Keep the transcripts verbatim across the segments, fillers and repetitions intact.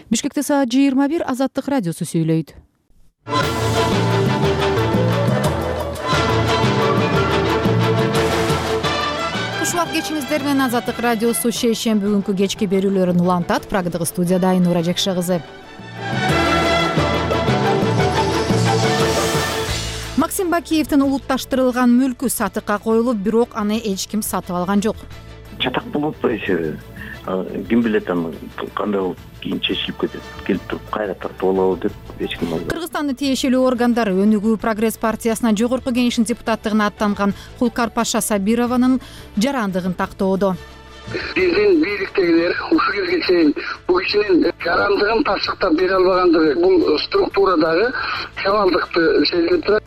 Бишкекте саат жыйырма бир. Азаттык радиосу сүйлөйт. Ушул кечиңиздер менен Азаттык радиосу шейшемби күнкү кечки берүүлөрүн улантат. Прагдагы студияда Айнура Жекше кызы. Максим Бакиевдин улутташтырылган мүлкү сатыкка коюлуп, бирок аны эч ким сатып алган жок. Чатак болуп атпайбы? Ким билет аны кандай болуп кийин чечилип кетет. Келип туруп кайра тартып алабы деп эч ким албайт. Кыргызстандын тиешелүү органдары Өнүгүү прогресс партиясына жогорку кеңештин депутаттыгына аттанган Кулкарпаша Сабированын жарандыгын тактоодо. Биздин бийликтегилер ушул кезге чейин бул кишинин жарандыгын тастыктап бере албагандыгы бул структурадагы кемалдыкты сезилип турат.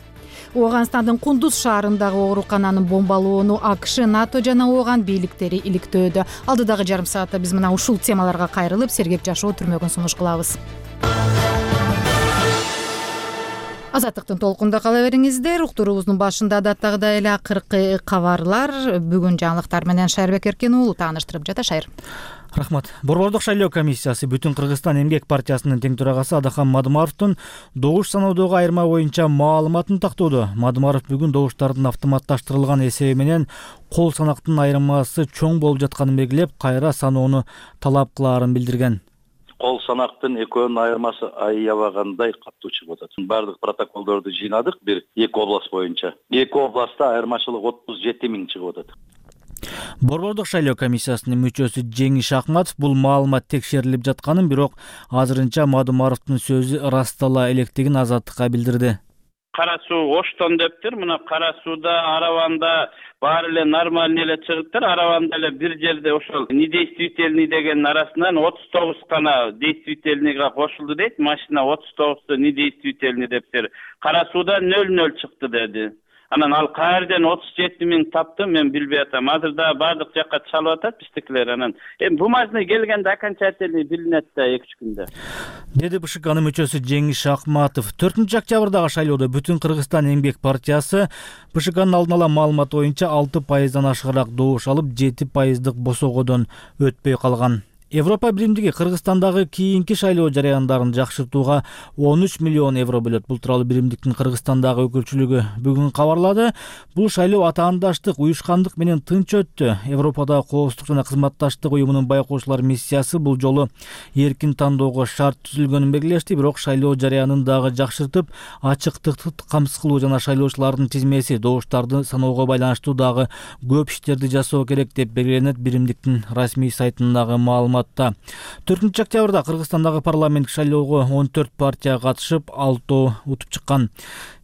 Ооганстандын Кундуз шаарындагы оорукананын бомбалоону АКШ, НАТО жана ооган бийликтери иликтөөдө. Алдыдагы жарым саатта биз мына ушул темаларга кайрылып, сергек жашоо түрмөгүн сунуш кылабыз. Азаттыктын толкунда кала бериңиздер. Уктуруубуздун башында адаттагыдай эле акыркы кабарлар. Бүгүн жаңылыктар менен Шайырбек Эркен уулу тааныштырып жатат. Шайыр. Рахмат. Борбордук шайлоо комиссиясы Бүтүн Кыргызстан эмгек партиясынын тең төрагасы Адахан Мадымаровдун добуш саноодогу айырма боюнча маалыматын тактоодо. Мадымаров бүгүн добуштардын автоматташтырылган эсеби менен кол санактын айырмасы чоң болуп жатканын белгилеп, кайра саноону талап кылаарын билдирген. Кол санактын экөөнүн айырмасы аябагандай катуу чыгып атат. Бардык протоколдорду жыйнадык, бир эки область боюнча. Эки областта айырмачылык отуз жети миң чыгып атат. Борбордук шайлоо комиссиясынын мүчөсү Жеңиш Акматов бул маалымат текшерилип жатканын, бирок азырынча Мадымаровдун сөзү ырастала электигин Азаттыкка билдирди. Кара суу оштон дептир. Мына кара сууда Араванда баары эле нормальный эле чыгыптыр. Араванда эле бир жерде ошол недействительный дегенин арасынан отуз тогуз гана действительныйга кошулду дейт. Машина отуз тогузду недействительный дептир. Кара сууда нөл нөл чыкты деди. Анан ал каерден отуз жети миң тапты, мен билбей атам. Азырда бардык жакка чалып атат биздикилер. Анан эми бумажный келгенде окончательный билинет да эки үч күндө. Деди БШКнын мүчөсү Жеңиш Акматов. төртүнчү октябрдагы шайлоодо Бүтүн Кыргызстан эмгек партиясы БШКнын алдын ала маалыматы боюнча алты пайыздан ашыгыраак добуш алып, жети пайыздык босогодон өтпөй калган. Европа биримдиги Кыргызстандагы кийинки шайлоо жарыяндарын жакшыртууга он үч миллион евро бөлөт. Бул тууралуу биримдиктин Кыргызстандагы өкүлчүлүгү бүгүн кабарлады. Бул шайлоо атаандаштык, уюшкандык менен тынч өттү. Европадагы коопсуздук жана кызматташтык уюмунун байкоочулар миссиясы бул жолу эркин тандоого шарт түзүлгөнүн белгилешти, бирок шайлоо жарыянын дагы жакшыртып, ачыктыкты камсыз кылуу жана шайлоочулардын тизмеси, добуштарды саноого байланыштуу дагы көп иштерди жасоо керек деп белгиленет биримдиктин расмий сайтындагы маалымат. төртүнчү октябрда Кыргызстандагы парламенттик шайлоого он төрт партия катышып, алтоо утуп чыккан.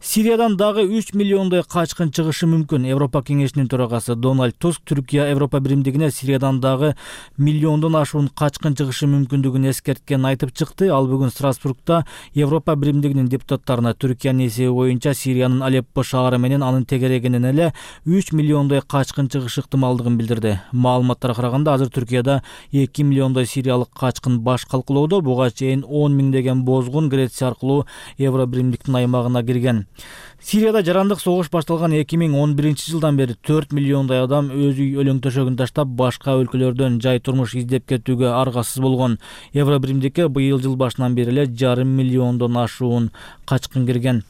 Сириядан дагы үч миллиондой качкын чыгышы мүмкүн. Европа кеңешинин төрагасы Дональд Туск Түркия Европа биримдигине Сириядан дагы миллиондон ашуун качкын чыгышы мүмкүндүгүн эскерткенин айтып чыкты. Ал бүгүн Страсбургда Европа биримдигинин депутаттарына Түркиянын эсеби боюнча Сириянын Алеппо шаары менен анын тегерегинен эле үч миллиондой качкын чыгышы ыктымалдыгын билдирди. Маалыматтарга караганда азыр Түркияда эки миллион сириялык качкын баш калкылоодо. Буга чейин он миңдеген бозгун Греция аркылуу Евро биримдиктин аймагына кирген. Сирияда жарандык согуш башталган эки миң он биринчи жылдан бери төрт миллиондой адам өз үй өлөң төшөгүн таштап, башка өлкөлөрдөн жай турмуш издеп кетүүгө аргасыз болгон. Евро биримдикке быйыл жыл башынан бери эле жарым миллиондон ашуун качкын кирген.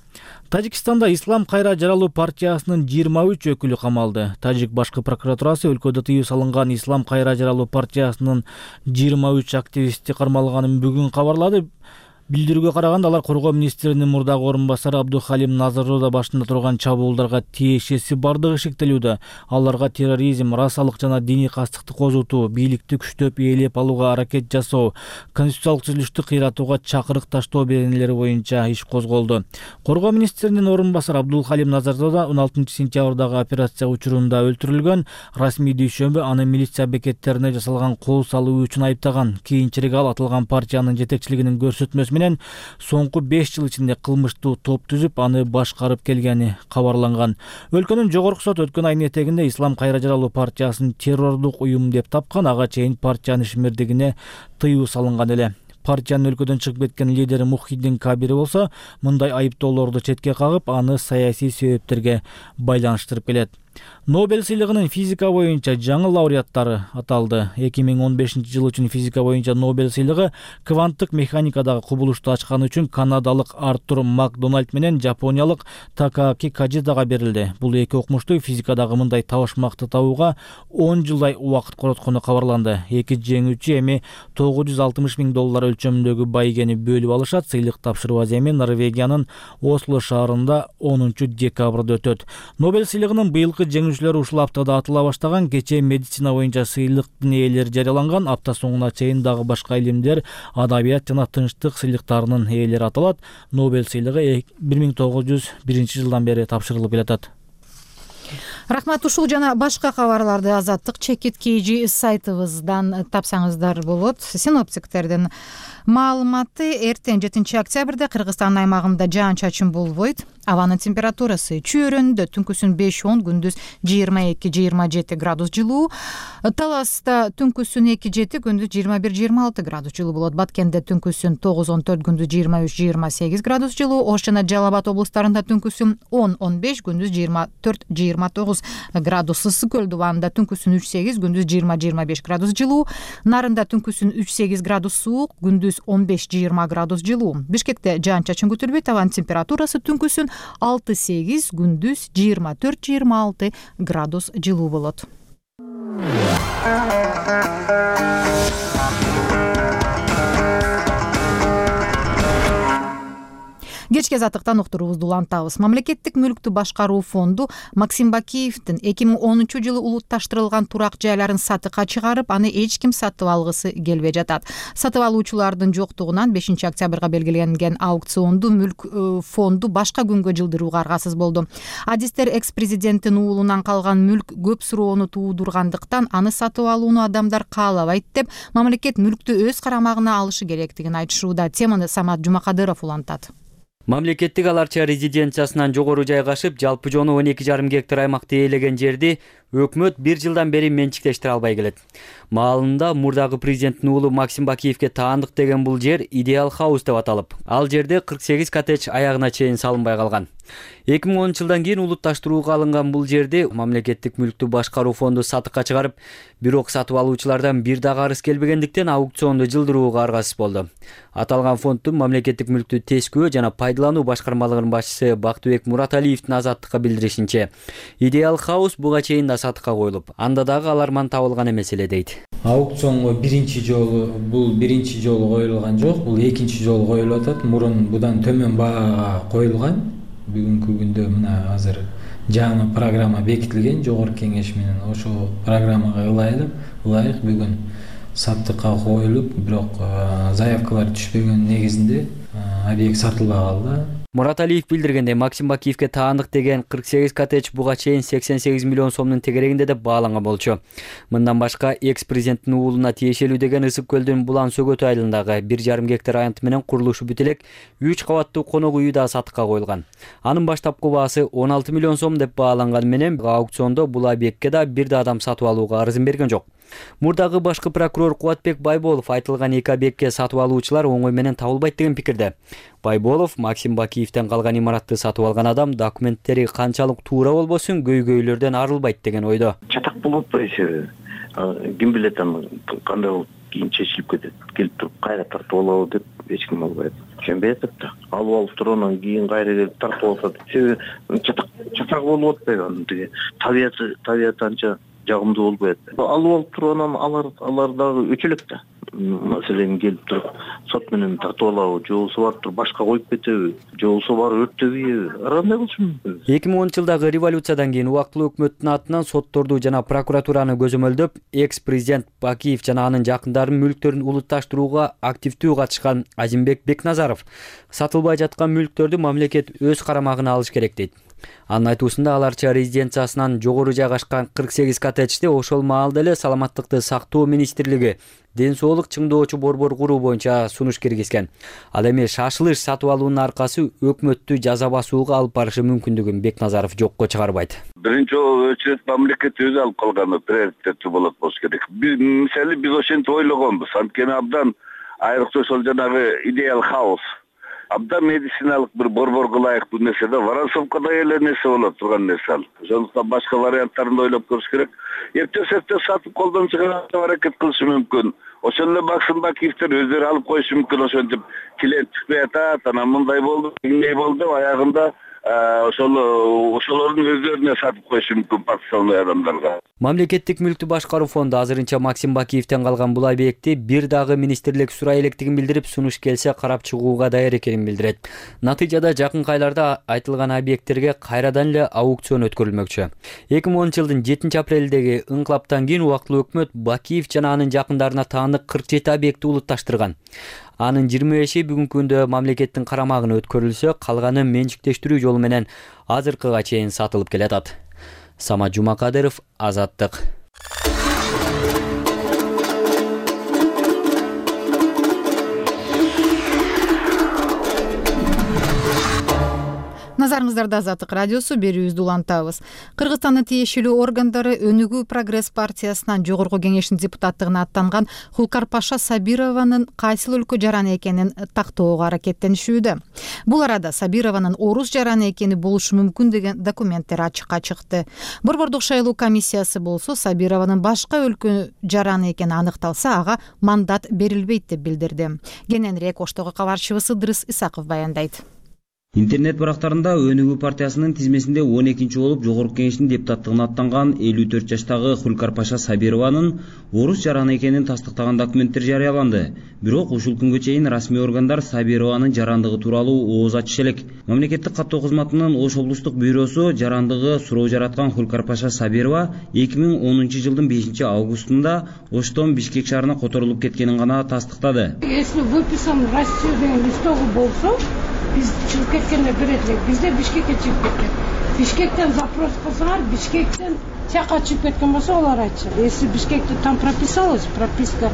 Тажикстанда Ислам кайра жаралуу партиясынын жыйырма үч өкүлү камалды. Тажик башкы прокуратурасы өлкөдө тыюу салынган Ислам кайра жаралуу партиясынын жыйырма үч активисти кармалганын бүгүн кабарлады. Билдирүүгө караганда алар коргоо министринин мурдагы орун басары Абдухалим Назарзода башында турган чабуулдарга тиешеси бардыгы шектелүүдө. Аларга терроризм, расалык жана диний кастыкты козутуу, бийликти күчтөп ээлеп алууга аракет жасоо, конституциялык түзүлүштү кыйратууга чакырык таштоо беренелери боюнча иш козголду. Коргоо министринин орун басары Абдухалим Назарзода он алтынчы сентябрдагы операция учурунда өлтүрүлгөн. Расмий дүйшөмбү аны милиция бекеттерине жасалган кол салуу үчүн айыптаган. Кийинчерээк ал аталган партиянын жетекчилигинин көрсөтмөсү менен соңку беш жыл ичинде кылмыштуу топ түзүп, аны башкарып келгени кабарланган. Өлкөнүн жогорку сот өткөн айдын этегинде Ислам кайра жаралуу партиясын террордук уюм деп тапкан. Ага чейин партиянын ишмердигине тыюу салынган эле. Партиянын өлкөдөн чыгып кеткен лидери Мухиддин Кабири болсо, мындай айыптоолорду четке кагып, аны саясий себептерге байланыштырып келет. Нобель сыйлыгынын физика боюнча жаңы лауреаттары аталды. эки миң он бешинчи жыл үчүн физика боюнча Нобель сыйлыгы кванттык механикадагы кубулушту ачканы үчүн канадалык Артур Макдональд менен жапониялык Такааки Каджидага берилди. Бул эки окумушту физикадагы мындай табышмакты табууга он жылдай убакыт короткону кабарланды. Эки жеңүүчү эми тогуз жүз алтымыш миң доллар өлчөмүндөгү байгени бөлүп алышат. Сыйлык тапшыруу эми Норвегиянын Осло шаарында онунчу декабрда өтөт. Нобель сыйлыгынын быйылкы жеңүүчүлөрү ушул аптада атыла баштаган. Кечээ медицина боюнча сыйлыктын ээлери жарыяланган. Апта соңуна чейин дагы башка илимдер, адабият жана тынчтык сыйлыктарынын ээлери аталат. Нобель сыйлыгы бир миң тогуз жүз биринчи жылдан бери тапшырылып келатат. Рахмат. Ушул жана башка кабарларды Азаттык чекит kg сайтыбыздан тапсаңыздар болот. Синоптиктердин маалыматы: эртең жетинчи октябрда Кыргызстан аймагында жаан-чачын болбойт. Абанын температурасы чөйрөндө түнкүсүн беш он, күндүз жыйырма эки жыйырма жети градус жылуу. Таласта түнкүсүн эки жети, күндүз жыйырма бир жыйырма алты градус жылуу болот. Баткенде түнкүсүн тогуз он төрт, күндүз жыйырма үч жыйырма сегиз градус жылуу. Ош жана Жалал Абад облустарында түнкүсүн он он беш, күндүз жыйырма төрт жыйырма тогуз градус. Ысык Көл дубанында түнкүсүн үч сегиз, күндүз жыйырма жыйырма беш градус жылуу. Нарында түнкүсүн үч сегиз градус суук, күндүз он беш жыйырма градус жылуу. Бишкекте жаан-чачын күтүлбөйт. Абанын температурасы түнкүсүн алты сегиз, күндүз жыйырма төрт жыйырма алты градус жылуу болот. Кечки азаттыктан уктуруубузду улантабыз. Мамлекеттик мүлктү башкаруу фонду Максим Бакиевдин эки миң онунчу жылы улутташтырылган турак жайларын сатыкка чыгарып, аны эч ким сатып алгысы келбей жатат. Сатып алуучулардын жоктугунан бешинчи октябрга белгиленген аукционду мүлк фонду башка күнгө жылдырууга аргасыз болду. Адистер экс-президенттин уулунан калган мүлк көп суроону туудургандыктан аны сатып алууну адамдар каалабайт деп, мамлекет мүлктү өз карамагына алышы керектигин айтышууда. Теманы Самат Жумакадыров улантат. Мамлекеттик аларча резиденциясынан жогору жайгашып, жалпы жону он эки жарым гектар аймакты ээлеген жерди өкмөт бир жылдан бери менчиктештире албай келет. Маалында мурдагы президенттин уулу Максим Бакиевге таандык деген бул жер Идеал Хаус деп аталып, ал жерде кырк сегиз коттедж аягына чейин салынбай калган. эки миң онунчу жылдан кийин улутташтырууга алынган бул жерди мамлекеттик мүлктү башкаруу фонду сатыкка чыгарып, бирок сатып алуучулардан бир дагы арыз келбегендиктен аукционду жылдырууга аргасыз болду. Аталган фонддун мамлекеттик мүлктү тескөө жана пайдалануу башкармалыгынын башчысы Бактыбек Мураталиевдин Азаттыкка билдиришинче, Идеал Хаус буга чейин да сатыкка коюлуп, анда дагы аларман табылган эмес эле дейт. Аукционго биринчи жолу бул биринчи жолу коюлган жок, бул экинчи жолу коюлуп атат. Мурун будан төмөн баага коюлган. Бүгүнкү күндө мына азыр жаңы программа бекитилген жогорку кеңеш менен. Ошол программага ылайык, ылайык бүгүн сатыкка коюлуп, бирок заявкалар түшпөгөн негизинде объект сатылбай калды. Мураталиев билдиргендей, Максим Бакиевге таандык деген кырк сегиз коттедж буга чейин сексен сегиз миллион сомдун тегерегинде деп бааланган болчу. Мындан башка экс-президенттин уулуна тиешелүү деген Ысык Көлдүн Булан Сөгөт айылындагы бир жарым гектар аянты менен курулушу бүтө элек үч кабаттуу конок үйү да сатыкка коюлган. Анын баштапкы баасы он алты миллион сом деп бааланган менен аукциондо бул объектке да бир да адам сатып алууга арызын берген жок. Мурдагы башкы прокурор Кубатбек Байболов айтылган эки объектке сатып алуучулар оңой менен табылбайт деген пикирде. Байболов Максим Бакиевден калган имаратты сатып алган адам документтери канчалык туура болбосун көйгөйлөрдөн арылбайт деген ойдо. Чатак болуп атпайбы? Ким билет аны кандай болуп кийин чечилип кетет. Келип туруп кайра тартып алабы деп эч ким албайт. Түшүнбөй атат да. Алып алып тургандан кийин кайра келип тартып алат. Себеби чатак чатак болуп атпайбы анын тиги табияты табияты анча жагымдуу болбойт. Алып алып тургандан алар алар дагы өчөлөк да. Маселен келип туруп сот менен тартып алабы, же болбосо барып туруп башка коюп кетеби, же болбосо барып өрттөбүйбү? Кандай болушу мүмкүн? эки миң онунчу жылдагы революциядан кийин убактылуу өкмөттүн атынан сотторду жана прокуратураны көзөмөлдөп, экс-президент Бакиев жана анын жакындарынын мүлктөрүн улутташтырууга активдүү катышкан Азимбек Бекназаров сатылбай жаткан мүлктөрдү мамлекет өз карамагына алыш керек дейт. Анын айтуусунда аларча резиденциясынан жогору жайгашкан кырк сегиз коттеджди ошол маалда эле Саламаттыкты сактоо министрлиги ден соолук чыңдоочу борбор куруу боюнча сунуш киргизген. Ал эми шашылыш сатып алуунун аркасы өкмөттү жаза басууга алып барышы мүмкүндүгүн Бекназаров жокко чыгарбайт. Биринчи очередь мамлекет өзү алып калганы приоритеттүү болот болуш керек. Мисалы биз ошентип ойлогонбуз. Анткени абдан айрыкча ошол жанагы Идеал Хаус абдан медициналык бир борборго ылайыктуу нерсе да, Воронцовкада эле нерсе болот турган нерсе ал. Ошондуктан башка варианттарын да ойлоп көрүш керек. Эптеп-септеп сатып колдон чыгарып аракет кылышы мүмкүн. Ошол эле Максим Бакиевдер өздөрү алып коюшу мүмкүн. Ошентип клиент чыкпай атат, анан мындай болду, мындай болду деп аягында ошол ошолордун өздөрүнө сатып коюшу мүмкүн подставной адамдарга. Мамлекеттик мүлктү башкаруу фонду азырынча Максим Бакиевден калган бул объектти бир дагы министрлик сурай электигин билдирип, сунуш келсе карап чыгууга даяр экенин билдирет. Натыйжада жакынкы айларда айтылган объекттерге кайрадан эле аукцион өткөрүлмөкчү. эки миң онунчу жылдын жетинчи апрелдеги ыңкылаптан кийин убактылуу өкмөт Бакиев жана анын жакындарына таандык кырк жети объектти улутташтырган. Анын жыйырма беши бүгүнкү күндө мамлекеттин карамагына өткөрүлсө, калганы менчиктештирүү жолу менен азыркыга чейин сатылып келатат. Самат Жумакадыров, Азаттык. Назарыңыздарда Азаттык радиосу, берүүбүздү улантабыз. Кыргызстандын тиешелүү органдары Өнүгүү прогресс партиясынан жогорку кеңештин депутаттыгына аттанган Хулкарпаша Сабированын кайсыл өлкө жараны экенин тактоого аракеттенишүүдө. Бул арада Сабированын орус жараны экени болушу мүмкүн деген документтер ачыкка чыкты. Борбордук шайлоо комиссиясы болсо Сабированын башка өлкө жараны экени аныкталса, ага мандат берилбейт деп билдирди. Кененирээк Оштогу кабарчыбыз Ыдрыс Исаков баяндайт. Интернет барактарында Өнүгүү партиясынын тизмесинде он экинчи болуп жогорку кеңештин депутаттыгына аттанган элүү төрт жаштагы Хулкарпаша Сабированын орус жараны экенин тастыктаган документтер жарыяланды. Бирок ушул күнгө чейин расмий органдар Сабированын жарандыгы тууралуу ооз ачыша элек. Мамлекеттик каттоо кызматынын Ош облустук бюросу жарандыгы суроо жараткан Хулкарпаша Сабирова эки миң онунчу жылдын бешинчи августунда Оштон Бишкек шаарына которулуп кеткенин гана тастыктады. Если выписан в Россию деген листогу болсо, биз чыгып кеткенде берет элек. Бизде Бишкекке чыгып кеткен. Бишкектен запрос кылсаңар, Бишкектен чакка чыгып кеткен болсо, олар айтышат. Если Бишкекте там прописалась прописка,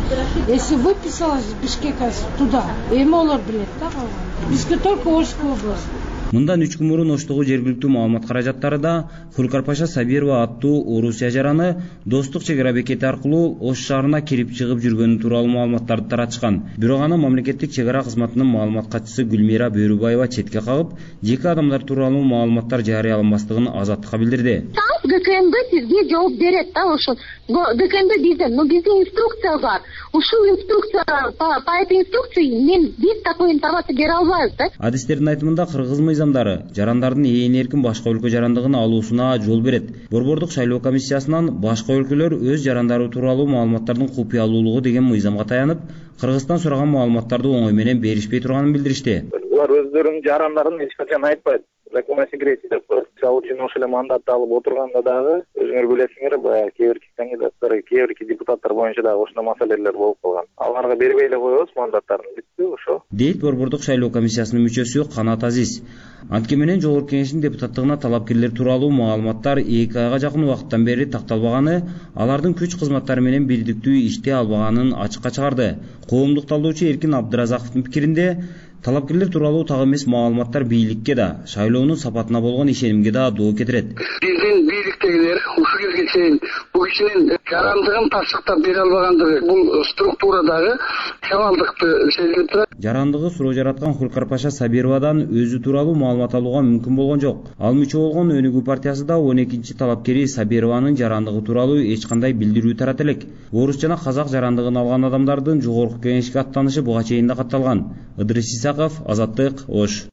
если выписалась Бишкека туда, эми олар билет да калган. Бизге только Ошская область. Мындан үч күн мурун Оштогу жергиликтүү маалымат каражаттарында Хулкарпаша Сабирова аттуу Орусия жараны достук чек ара бекети аркылуу Ош шаарына кирип чыгып жүргөнү тууралуу маалыматтарды таратышкан. Бирок аны мамлекеттик чек ара кызматынын маалымат катчысы Гүлмира Бөрүбаева четке кагып, жеке адамдар тууралуу маалыматтар жарыяланбастыгын Азаттыкка билдирди. ГКМБ сизге жооп берет да, ошол ГКМБ бизден, но биздин инструкция бар. Ушул инструкция, по этой инструкции мен биз такой информация бере албайбыз да. Адистердин айтымында кыргыз мыйзамдары жарандардын ээн эркин башка өлкө жарандыгын алуусуна жол берет. Борбордук шайлоо комиссиясынан башка өлкөлөр өз жарандары тууралуу маалыматтардын купуялуулугу деген мыйзамга таянып, Кыргызстан сураган маалыматтарды оңой менен беришпей турганын билдиришти. Булар өздөрүнүн жарандарын эч качан айтпайт. Закон секретности деп коет. Мисалы үчүн ошол эле мандатты алып отурганда дагы өзүңөр билесиңер, баягы кээ бирки кандидаттар, кээ бирки депутаттар боюнча дагы ошондой маселелер болуп калган. Аларга бербей эле коебуз мандаттарын, бүттү ошо. Дейт Борбордук шайлоо комиссиясынын мүчөсү Канат Азиз. Анткени менен жогорку кеңештин депутаттыгына талапкерлер тууралуу маалыматтар эки айга жакын убакыттан бери такталбаганы, алардын күч кызматтары менен бирдиктүү иштей албаганын ачыкка чыгарды. Коомдук талдоочу Эркин Абдыразаковдун пикиринде, талапкерлер тууралуу так эмес маалыматтар бийликке да, шайлоонун сапатына болгон ишенимге да доо кетирет. Биздин бийликтегилер ушул кезге чейин бул кишинин жарандыгын тастыктап бере албагандыгы бул структурадагы хабалдыкты сезилип турат. Жарандыгы суроо жараткан Хулкарпаша Сабировадан өзү тууралуу маалымат алууга мүмкүн болгон жок. Ал мүчө болгон Өнүгүү партиясы да он экинчи талапкери Сабированын жарандыгы тууралуу эч кандай билдирүү тарат элек. Орус жана казак жарандыгын алган адамдардын жогорку кеңешке аттанышы буга чейин да катталган. Ыдрыс Исаков, Азаттык, Ош.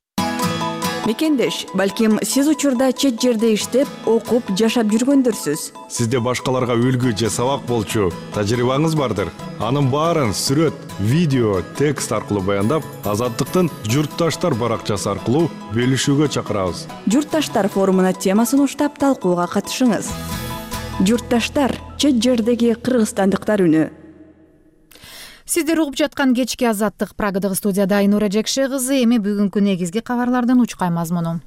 Мекендеш, балким сиз учурда чет жерде иштеп, окуп, жашап жүргөндөрсүз. Сизде башкаларга үлгү же сабак болчу тажрыйбаңыз бардыр. Анын баарын сүрөт, видео, текст аркылуу баяндап, Азаттыктын Журтташтар баракчасы аркылуу бөлүшүүгө чакырабыз. Журтташтар форумуна темасын уштап талкууга катышыңыз. Журтташтар, чет жердеги кыргызстандыктар үнү. Сиздер угуп жаткан кечки Азаттык, Прагадагы студияда Айнура Жекше кызы. Эми бүгүнкү негизги кабарлардын учкай мазмуну.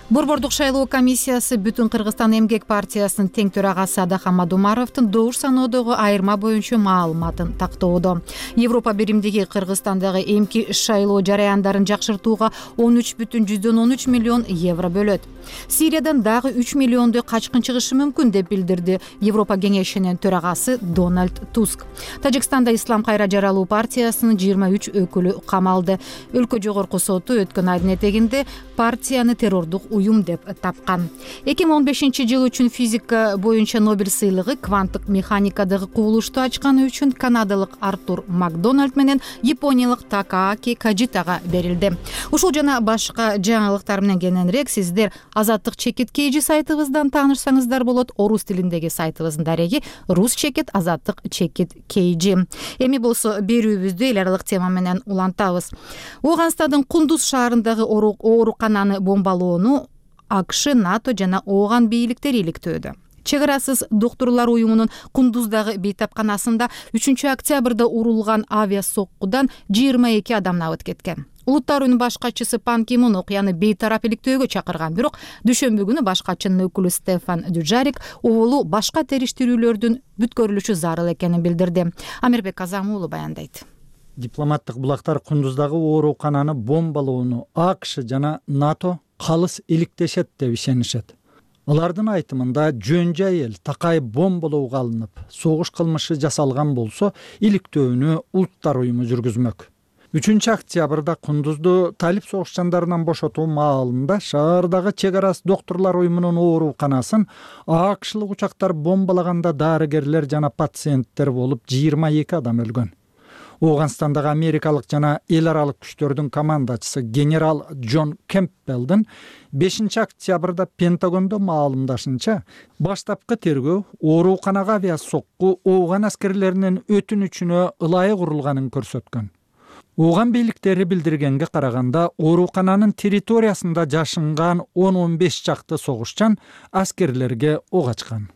Борбордук шайлоо комиссиясы Бүтүн Кыргызстан эмгек партиясынын тең төрагасы Адахан Мадумаровдун добуш саноодогу айырма боюнча маалыматын тактоодо. Европа биримдиги Кыргызстандагы эмки шайлоо жараяндарын жакшыртууга он үч бүтүн жүздөн он үч миллион евро бөлөт. Сириядан дагы үч миллиондой качкын чыгышы мүмкүн деп билдирди Европа кеңешинин төрагасы Дональд Туск. Тажикстанда Ислам кайра жаралуу партиясынын жыйырма үч өкүлү камалды. Өлкө жогорку соту өткөн айдын этегинде партияны террордук уюм деп тапкан. эки миң он бешинчи жыл үчүн физика боюнча Нобель сыйлыгы кванттык механикадагы кубулушту ачканы үчүн канадалык Артур Макдональд менен япониялык Такааки Каджитага берилди. Ушул жана башка жаңылыктар менен кененирээк сиздер Азаттык чекит кейжи сайтыбыздан таанышсаңыздар болот. Орус тилиндеги сайтыбыздын дареги Рус чекит Азаттык чекит кейжи. Эми болсо берүүбүздү эл аралык тема менен улантабыз. Ооганстандын Кундуз шаарындагы оорукананы бомбалоону АКШ, НАТО жана Ооган бийликтери иликтөөдө. Чек арасыз доктурлар уюмунун Кундуздагы бейтапканасында үчүнчү октябрда урулган авиасоккудан жыйырма эки адам набыт кеткен. Улуттар уюмунун башкачысы Пан Ки Мун окуяны бейтарап иликтөөгө чакырган, бирок дүйшөмбү күнү башкачынын өкүлү Стефан Дюжарик оболу башка териштирүүлөрдүн бүткөрүлүшү зарыл экенин билдирди. Амирбек Казам уулу баяндайт. Дипломаттык булактар Кундуздагы оорукананы бомбалоону АКШ жана НАТО калыс иликтешет деп ишенишет. Алардын айтымында жөн жай эл такай бомбалоого алынып, согуш кылмышы жасалган болсо, иликтөөнү Улуттар уюму жүргүзмөк. үчүнчү октябрда Кундузду талип согушчандарынан бошотуу маалында шаардагы чек арасы доктурлар уюмунун ооруканасын АКШлык учактар бомбалаганда дарыгерлер жана пациенттер болуп жыйырма эки адам өлгөн. Ооганстандагы америкалык жана эл аралык күчтөрдүн командачысы генерал Джон Кемпбелдин бешинчи октябрда Пентагондо маалымдашынча, баштапкы тергөө ооруканага авиасокку Ооган аскерлеринин өтүнүчүнө ылайык урулганын көрсөткөн. Ооган бийликтери билдиргенге караганда, оорукананын территориясында жашынган он он беш чакты согушчан аскерлерге ок ачкан.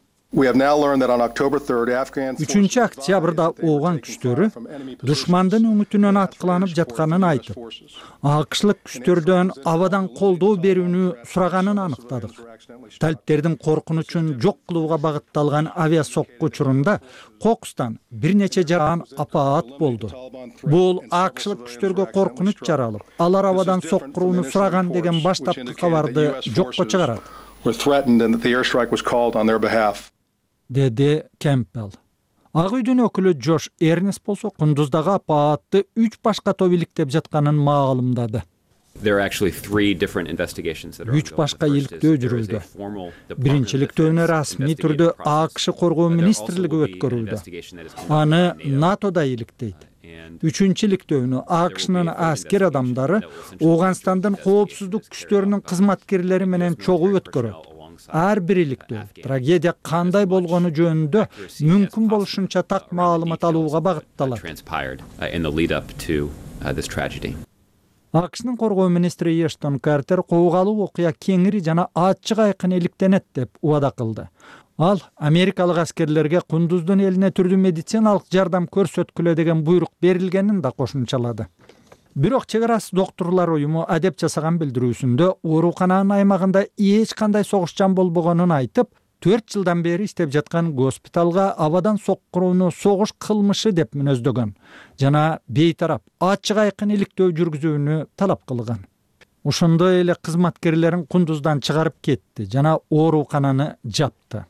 үчүнчү октябрда Ооган күчтөрү душмандын өңүтүнөн аткыланып жатканын айтып, АКШлык күчтөрдөн абадан колдоо берүүнү сураганын аныктадык. Талиптердин коркунучун жок кылууга багытталган авиасокку учурунда Кокустан бир нече жаран апаат болду. Бул АКШлык күчтөргө коркунуч жаралып, алар абадан соккурууну сураган деген баштапкы кабарды жокко чыгарат, деди Кемпбелл. Ак үйдүн өкүлү Джош Эрнест болсо Кундуздагы апаатты үч башка топ иликтеп жатканын маалымдады. Үч башка иликтөө жүрүүдө. Биринчи иликтөөнү расмий түрдө АКШ коргоо министрлиги өткөрүүдө. Аны НАТО да иликтейт. Үчүнчү иликтөөнү АКШнын аскер адамдары Ооганстандын коопсуздук күчтөрүнүн кызматкерлери менен чогуу өткөрөт. Ар бир иликтөө трагедия кандай болгону жөнүндө мүмкүн болушунча так маалымат алууга багытталат. АКШнын коргоо министри Эштон Картер куугалуу окуя кеңири жана ачык айкын иликтенет деп убада кылды. Ал америкалык аскерлерге Кундуздун элине түрдүү медициналык жардам көрсөткүлө деген буйрук берилгенин да кошумчалады. Бирок чек арасы доктурлар уюму адеп жасаган билдирүүсүндө оорукананын аймагында эч кандай согушчан болбогонун айтып, төрт жылдан бери иштеп жаткан госпиталга абадан соккурууну согуш кылмышы деп мүнөздөгөн жана бейтарап ачык айкын иликтөө жүргүзүүнү талап кылган. Ошондой эле кызматкерлерин Кундуздан чыгарып кетти жана оорукананы жапты.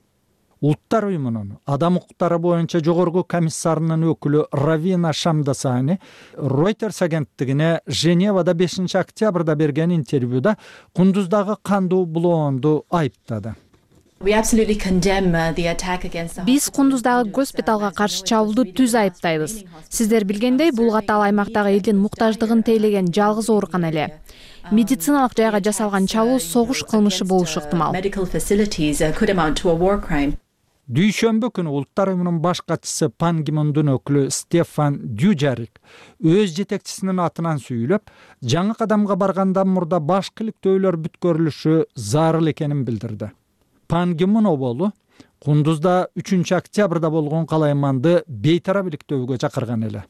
Улуттар уюмунун адам укуктары боюнча жогорку комиссарынын өкүлү Равина Шамдасани Reuters агенттигине Женевада бешинчи октябрда берген интервьюда Кундуздагы кандуу булоонду айыптады. Биз Кундуздагы госпиталга каршы чабуулду түз айыптайбыз. Сиздер билгендей, бул катал аймактагы элдин муктаждыгын тейлеген жалгыз оорукана эле. Медициналык жайга жасалган чабуул согуш кылмышы болушу ыктымал. Дүйшөмбү күнү Улуттар уюмунун баш катчысы Пан Ки Мундун өкүлү Стефан Дюжарик өз жетекчисинин атынан сүйлөп, жаңы кадамга баргандан мурда башкы иликтөөлөр бүткөрүлүшү зарыл экенин билдирди. Пан Ки Мун оболу Кундузда үчүнчү октябрда болгон калайманды бейтарап иликтөөгө чакырган эле.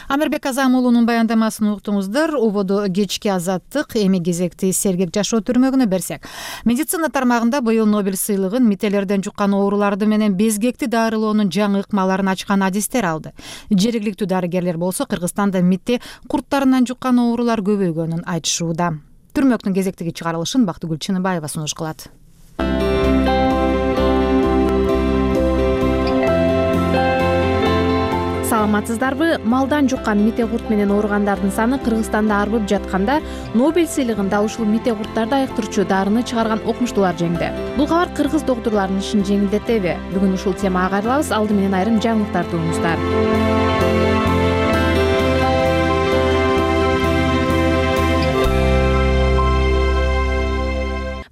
Амирбек Казам уулунун баяндамасын уктуңуздар. Ободо кечки Азаттык, эми кезекти сергек жашоо түрмөгүнө берсек. Медицина тармагында быйыл Нобель сыйлыгын мителерден жуккан ооруларды менен безгекти дарылоонун жаңы ыкмаларын ачкан адистер алды. Жергиликтүү дарыгерлер болсо Кыргызстанда митте курттарынан жуккан оорулар көбөйгөнүн айтышууда. түрмөктүн кезектеги чыгарылышын Бактыгүл Чыныбаева сунуш кылат. Саламатсыздарбы? Малдан жуккан мите курт менен ооругандардын саны Кыргызстанда арбып жатканда Нобель сыйлыгын дал ушул мите курттарды айыктырчу дарыны чыгарган окумуштуулар жеңди. Бул кабар кыргыз доктурларынын ишин жеңилдетеби? Бүгүн ушул темага кайрылабыз. Алды менен айрым жаңылыктарды угуңуздар.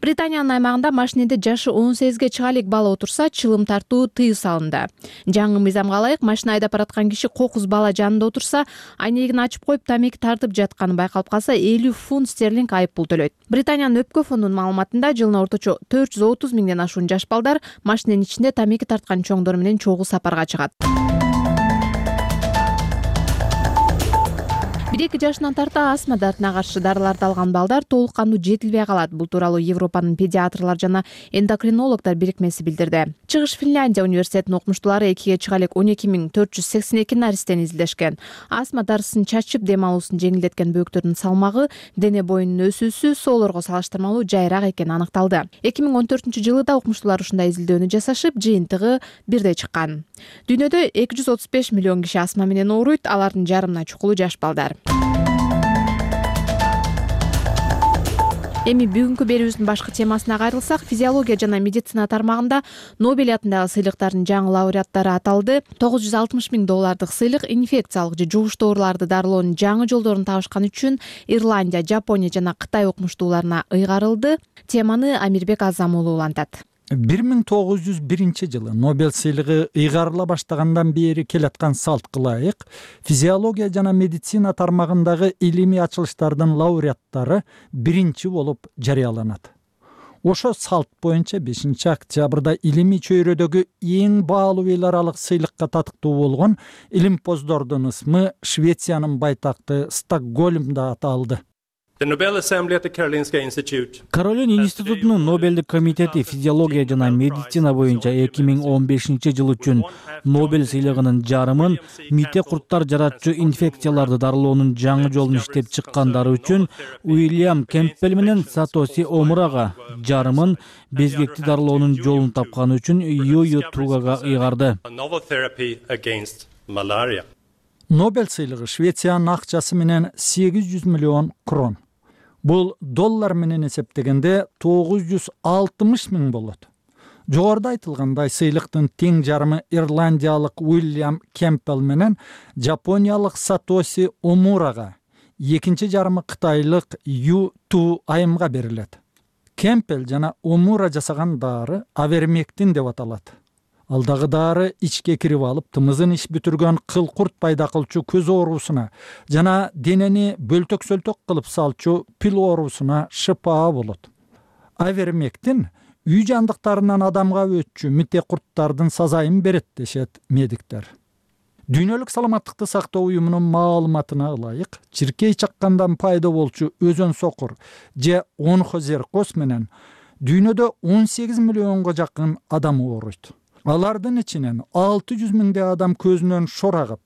Британиянын аймагында машинеде жашы он сегизге чыга элек бала отурса, чылым тартуу тыюу салынды. Жаңы мыйзамга ылайык машина айдап бараткан киши кокуз бала жанында отурса, айнегин ачып коюп тамеки тартып жатканы байкалып калса, элүү фунт стерлинг айып пул төлөйт. Британиянын өпкө фондунун маалыматында жылына орточо төрт жүз отуз миңден ашуун жаш балдар машиненин ичинде тамеки тарткан чоңдор менен чогуу сапарга чыгат. бир эки жашынан тарта астма дартына каршы дарыларды алган балдар толук кандуу жетилбей калат. Бул тууралуу Европанын педиатрлар жана эндокринологдор бирикмеси билдирди. Чыгыш Финляндия университетинин окумуштуулары экиге чыга элек он эки миң төрт жүз сексен эки наристени изилдешкен. Астма дарысын чачып дем алуусун жеңилдеткен бөөктөрдүн салмагы, дене боюнун өсүүсү соолорго салыштырмалуу жайыраак экени аныкталды. эки миң он төртүнчү жылы да окумуштуулар ушундай изилдөөнү жасашып, жыйынтыгы бирдей чыккан. Дүйнөдө эки жүз отуз беш миллион киши астма менен ооруйт, алардын жарымына чукулу жаш балдар. Эми бүгүнкү берүүбүздүн башкы темасына кайрылсак, физиология жана медицина тармагында Нобель атындагы сыйлыктардын жаңы лауреаттары аталды. тогуз жүз алтымыш миң доллардык сыйлык инфекциялык же жугуштуу ооруларды дарылоонун жаңы жолдорун табышкан үчүн Ирландия, Жапония жана Кытай окумуштууларына ыйгарылды. Теманы Амирбек Азам уулу улантат. бир миң тогуз жүз биринчи жылы Нобель сыйлыгы ыйгарыла баштагандан бери келаткан салтка ылайык физиология жана медицина тармагындагы илимий ачылыштардын лауреаттары биринчи болуп жарыяланат. Ошо салт боюнча бешинчи октябрда илимий чөйрөдөгү эң баалуу эл аралык сыйлыкка татыктуу болгон илимпоздордун ысмы Швециянын байтакты Стокгольмда аталды. Каролин институтунун Нобелдик комитети физиология жана медицина боюнча эки миң он бешинчи жыл үчүн Нобель сыйлыгынын жарымын мите курттар жаратчу инфекцияларды дарылоонун жаңы жолун иштеп чыккандары үчүн Уильям Кемпбелл менен Сатоси Омурага, жарымын безгекти дарылоонун жолун тапканы үчүн Юю Тугага ыйгарды. Нобель сыйлыгы Швециянын акчасы менен сегиз жүз миллион крон. Бул доллар менен эсептегенде тогуз жүз алтымыш миң болот. Жогоруда айтылгандай сыйлыктын тең жарымы ирландиялык Уильям Кемпбелл менен жапониялык Сатоси Омурага, экинчи жарымы кытайлык Ю Ту айымга берилет. Кемпбелл жана Омура жасаган дары авермектин деп аталат. Алдагы дары ичке кирип алып, тымызын иш бүтүргөн кыл-курт пайда кылчу көз оорусуна жана денени бөлтөк-сөлтөк кылып салчу пил оорусуна шыпаа болот. Авермектин үй жандыктарынан адамга өтчү мите курттардын сазайын берет дешет медиктер. Дүйнөлүк саламаттыкты сактоо уюмунун маалыматына ылайык, чиркей чаккандан пайда болчу өзөн сокур же онхозеркоз менен дүйнөдө он сегиз миллионго жакын адам ооруйт. Алардын ичинен алты жүз миңдей адам көзүнөн шор агып,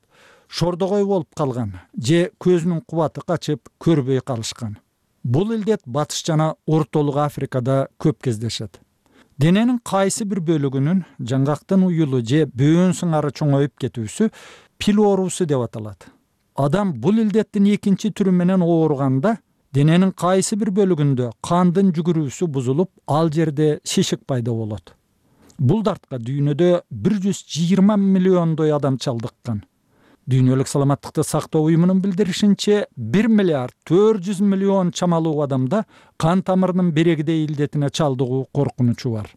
шордогой болуп калган же көзүнүн кубаты качып көрбөй калышкан. Бул илдет Батыш жана Ортолук Африкада көп кездешет. Дененин кайсы бир бөлүгүнүн жаңгактын уюлу же бөөн сыңары чоңоюп кетүүсү пил оорусу деп аталат. Адам бул илдеттин экинчи түрү менен ооруганда дененин кайсы бир бөлүгүндө кандын жүгүрүүсү бузулуп, ал жерде шишик пайда болот. Бул дартка дүйнөдө бир жүз жыйырма миллиондой адам чалдыккан. Дүйнөлүк саламаттыкты сактоо уюмунун билдиришинче бир миллиард төрт жүз миллион чамалуу адамда кан тамырынын берегидей илдетине чалдыгуу коркунучу бар.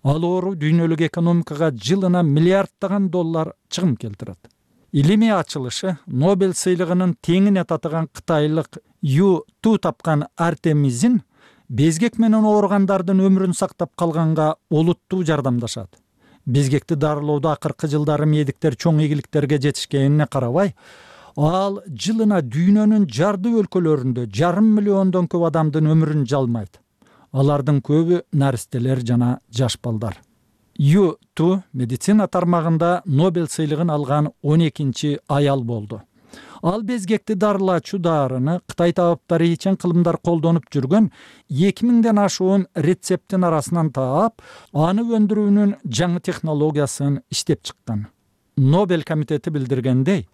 Ал оору дүйнөлүк экономикага жылына миллиарддаган доллар чыгым келтирет. Илимий ачылышы Нобель сыйлыгынын теңине татыган кытайлык Ю Ту тапкан Артемизин безгек менен ооругандардын өмүрүн сактап калганга олуттуу жардамдашат. Безгекти дарылоодо акыркы жылдары медиктер чоң ийгиликтерге жетишкенине карабай, ал жылына дүйнөнүн жардуу өлкөлөрүндө жарым миллиондон көп адамдын өмүрүн жалмайт. Алардын көбү наристелер жана жаш балдар. Ю Ту медицина тармагында Нобель сыйлыгын алган он экинчи аял болду. ал безгекти дарылаачу дарыны Кытай табаптары ичен кылымдар колдонуп жүргөн эки миңден ашуун рецепттин арасынан таап, аны өндүрүүнүн жаңы технологиясын иштеп чыккан. Нобель комитети билдиргендей,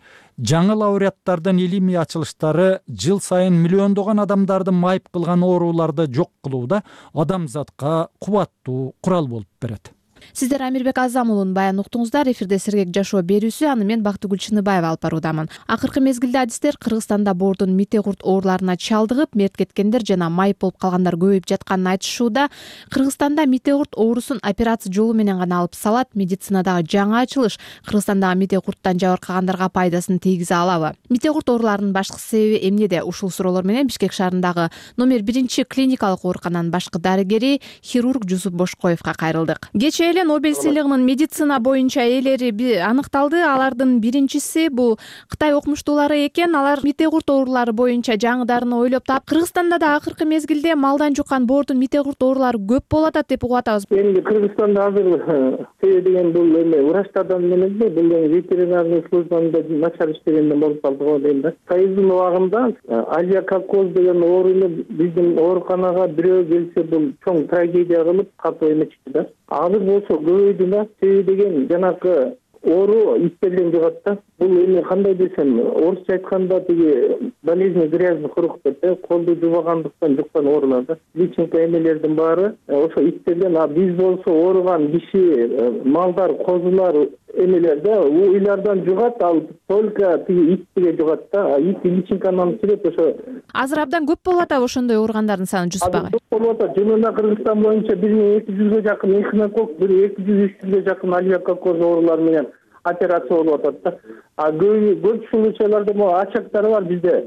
жаңы лауреаттардын илимий ачылыштары жыл сайын миллиондогон адамдарды майып кылган ооруларды жок кылууда адамзатка кубаттуу курал болуп берет. Сиздер Амирбек Азам уулун баян уктуңуздар. Эфирде Сергек жашоо берүүсү, аны мен Бактыгүл Чыныбаева алып баруудамын. Акыркы мезгилде адистер Кыргызстанда боордун мите-курт ооруларына чалдыгып, мерт кеткендер жана майып болуп калгандар көбөйүп жатканын айтышууда. Кыргызстанда мите-курт оорусун операция жолу менен гана алып салат. Медицинадагы жаңы ачылыш Кыргызстандагы мите-курттан жабыркагандарга пайдасын тийгизе алабы? Мите-курт ооруларынын башкы себеби эмнеде? Ушул суроолор менен Бишкек шаарындагы номер биринчи клиникалык оорукананын башкы дарыгери хирург Жусуп Бошкоевго кайрылдык. Кечээ Нобель сыйлыгынын медицина боюнча ээлери аныкталды. Алардын биринчиси бул Кытай окумуштуулары экен. Алар мите-курт оорулары боюнча жаңы дарыны ойлоп таап, Кыргызстанда да акыркы мезгилде малдан жуккан боордун мите-курт оорулары көп болуп атат деп угуп атабыз. Эми Кыргызстанда азыр себеби деген бул эме врачтардан эмес, бул ветеринарный службада начар иштегенден болуп калды го дейм да. Союздун убагында алиакокоз деген ооруну биздин ооруканага бирөө келсе бул чоң трагедия кылып катуу эметчү да. Азыр болсо көбөйдү да. Себеби деген жанакы оору иттерден жугат да. Бул эми кандай десем, орусча айтканда тиги болезнь грязных рук деп, колду жубагандыктан жуккан оорулар да. Личинка эмелердин баары ошо иттерден. А биз болсо ооруган киши, малдар, козулар эмелерде уйлардан жугат, ал только тиги итке жугат да. Ит личинканы сирет ошо. Азыр абдан көп болуп атабы ошондой ооругандардын саны Жусуп агай? Көп болуп атат. Жылына Кыргызстан боюнча бир миң эки жүзгө жакын эхинокок, бир эки жүз үч жүзгө жакын алиакокоз оорулар менен операция болуп атат да. А көп көп случайларда могу ачактар бар бизде.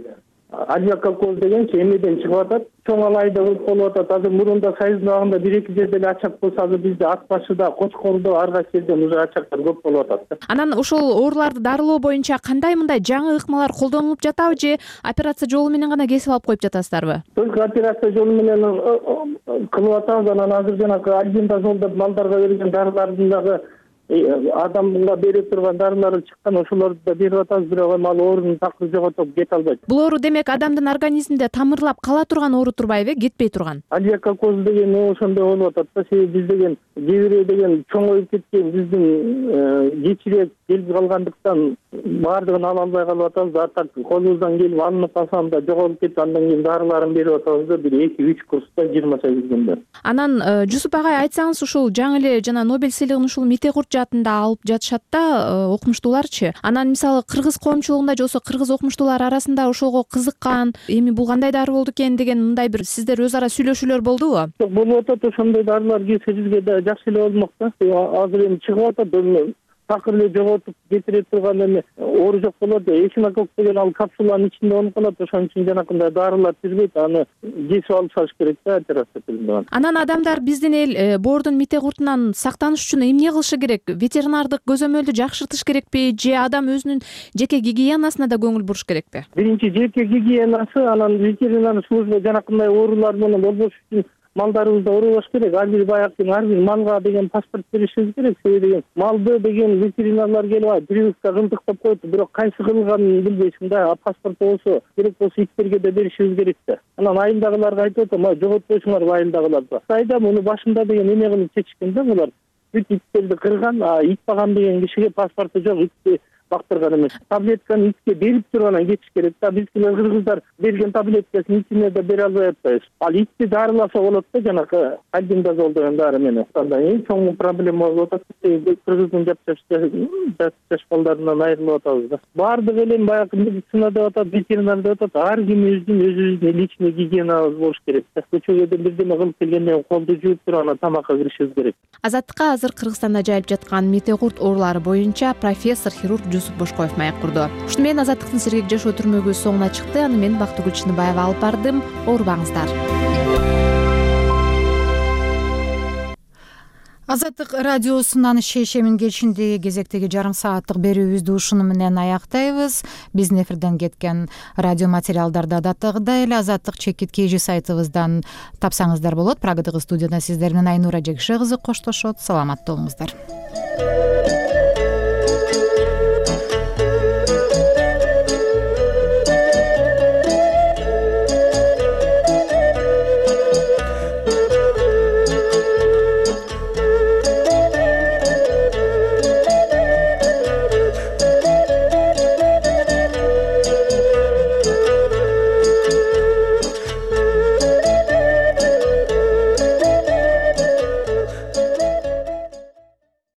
Алиакокоз дегенчи эмеден чыгып атат. Чоң алайда болуп атат. Азыр мурунда Союздун абагында бир эки жерде эле ачак болсо, азыр бизде Ат башыда, Кочкордо ар кайсы жерден уже ачактар көп болуп атат. Анан ошол ооруларды дарылоо боюнча кандай мындай жаңы ыкмалар колдонулуп жатабы же операция жолу менен гана кесип алып коюп жатасыздарбы? Только операция жолу менен кылып атабыз. Анан азыр жанагы альбендазол деп малдарга берген дарылардын дагы адамга бере турган дарылары чыккан, ошолорду да берип атабыз, бирок эми ал оорунун такыры жоготуп кете албайт. Бул оору демек адамдын организминде тамырлап кала турган оору турбайбы, кетпей турган? Алиакокоз деген ошондой болуп атат да. Себеби биз деген кээ деген чоңоюп кеткен, биздин кечирээк келип калгандыктан баардыгын ала албай калып атабыз. А так колубуздан келип алынып калсам да жоголуп кетип, андан кийин дарыларын берип атабыз да, бир эки үч курста жыйырма сегиз күндө. Анан Жусуп агай, айтсаңыз, ушул жаңы эле жана Нобель сыйлыгын ушул мите-курт жаатында алып жатышат да окумуштууларчы. Анан мисалы кыргыз коомчулугунда же болбосо кыргыз окумуштуулар арасында ошого кызыккан, эми бул кандай дары болду экен деген мындай бир сиздер өз ара сүйлөшүүлөр болдубу? Жок, болуп атат. Ошондой дарылар келсе бизге да жакшы эле болмок да. Азыр эми чыгып атат. Такыр эле жоготуп кетире турган эме оору жок болот. Эхинокок деген ал капсуланын ичинде болуп калат. Ошон үчүн жанакындай дарылар түзбөйт. Аны кесип алып салыш керек да, операция кылган. Анан адамдар биздин эл боордун мите-куртунан сактаныш үчүн эмне кылышы керек? Ветеринардык көзөмөлдү жакшыртыш керекпи же адам өзүнүн жеке гигиенасына да көңүл буруш керекпи? Биринчи жеке гигиенасы, анан ветеринар служба жанакындай оорулар менен болбош үчүн малдарыбызды оорубаш керек. Ар бир баягы ар бир малга деген паспорт беришибиз керек. Себеби деген малды деген ветеринарлар келип прививка кылдыктап коет, бирок кайсы кылганын билбейсиң да. Паспорт болсо керек болсо иттерге да беришибиз керек да. Анан айылдагыларга айтып атам, жоготпойсуңар айылдагыларга. Кытайда муну башында деген эме кылып чечишкен да булар. Бүт иттерди кырган, ит багам деген кишиге паспорту жок, итти бактырган эмес. Таблетканы итке берип туруп анан кетиш керек да. Бизгилер кыргыздар берген таблеткасын итине да бере албай атпайбыз. Ал итти дарыласа болот да, жанакы альбендазол деген дары менен. Эң чоң проблема болуп атат. Кыргыздын жап жаш балдарынан айрылып атабыз да. Баардык эле баягы медицина деп атат, ветеринар деп атат. Ар кимибиздин өзүбүздүн личный гигиенабыз болуш керек да. Көчөгөдөн бирдеме кылып келгенден колду жууп туруп анан тамакка киришибиз керек. Азаттыкка азыр Кыргызстанда жайып жаткан мите-курт оорулары боюнча профессор хирург Жусуп Бошкоев маек курду. Ушуну менен Азаттыктын Сергек жашоо түрмөгү соңуна чыкты. Аны мен Бактыгүл Чыныбаева алып бардым. Оорубаңыздар. Азаттык радиосунан шешемин кечиндеги кезектеги жарым сааттык берүүбүздү ушуну менен аяктайбыз. Биздин эфирден кеткен радио материалдарды адаттагыдай эле Азаттык чекит кей жи сайтыбыздан тапсаңыздар болот. Прагадагы студияда сиздер менен Айнура Жекше кызы коштошот. Саламатта болуңуздар.